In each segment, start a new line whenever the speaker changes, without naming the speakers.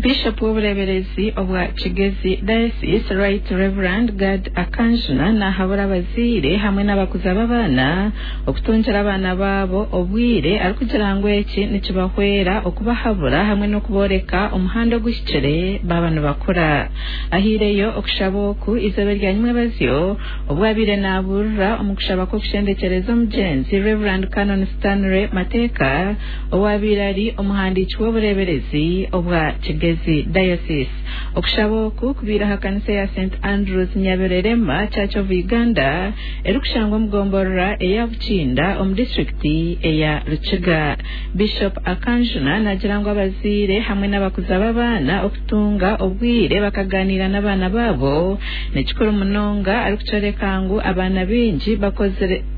Bishop w'obureeberezi obwa Kigezi Diocese Right Reverend Gad Akanjuna nahabura abazaire hamwe n'abakuza b'abaana okutungira abaana baabo obwire arikugira ngu eki nikibahwera okubahabura hamwe n'okubooreka omuhanda oguhikire baaba nibakura. Ahaireyo okushaba oku eizooba erya nyimwebazyo obu abaire naburira omu kushaba kw'okushendekyereza omugyenzi Rev Canon Stanley Mateeka owabaire ari omuhandiiki w'obureeberezi obwa Kigezi Diocese. Okushaba oku kubaire aha kanisa ya St Andrews Nyabererema Church of Uganda erikushangwa omu gomborora eya Bukinda omu disitulikiti eya Rukiga. Bishop Akanjuna nagira ngu abazaire hamwe n'abakuza b'abaana okutunga obwire bakaganiira n'abaana baabo nikikuru munonga arikukyoreka ngu abaana baingi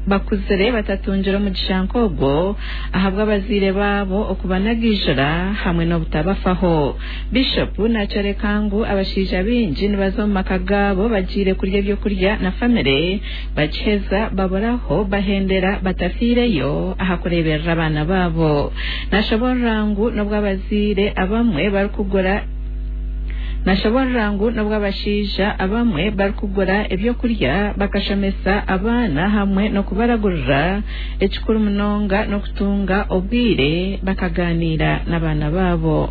bakuzire batatungire omugisha nk'ogwo ahabw'abazaire baabo okubanagaijura hamwe n'obutabafaho. Bishop nakyoreka ngu abashaija baingi nibaza omu maka gaabo bagiire kurya ebyokurya na famire bakiheza baburaho bahendera batafiireyo aha kureeberera abaana baabo. Nashoborora ngu n'obwo abazaire abamwe barikugura Nashoborora ngu n'obwo abashaija abamwe barikugura ebyokurya bakashomesa abaana hamwe n'okubaragurira, ekikuru munonga n'okutunga obwire bakaganiira n'abaana baabo.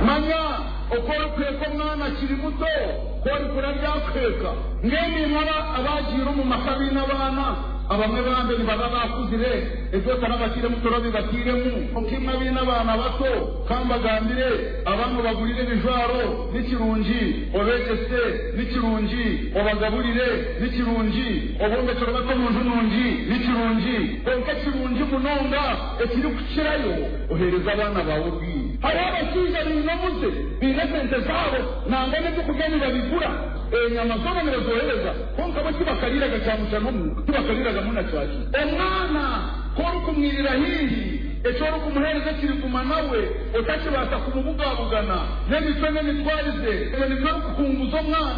Manya oku orikuheeka omwana akiri muto, ku orikura aryakuheeka. Mbwenu imwe abaagiire omu maka abaine abaana, abamwe bambe nibaba baakuzire, ebi otarabateiremu torabibatairemu. Kwonka imwe abaine abaana bato, ka mbagambire, abaana obagurire ebijwaro, ni kirungi, obeegyese, ni kirungi, obagaburire, ni kirungi, obombekyere obate omu nju nungi, ni kirungi. Kwonka ekirungi munonga ekirikukirayo, oheereze abaana baawe obwire. Hariho abashaija baine omuze, baine esente zaabo, nangwa n'eby'okurya nibabigura, enyama zoona nibazohereza, kwonka bo tibakariiraga kyamushana omuka, tibakariiragamu na kyakiro. Omwana ku orikumwirira haihi, eki orikumuheereza ekiriguma nawe, otakibaasa kumubugabugana n'emicwe n'emitwarize, ebyo nibyo orikuhunguza omwana.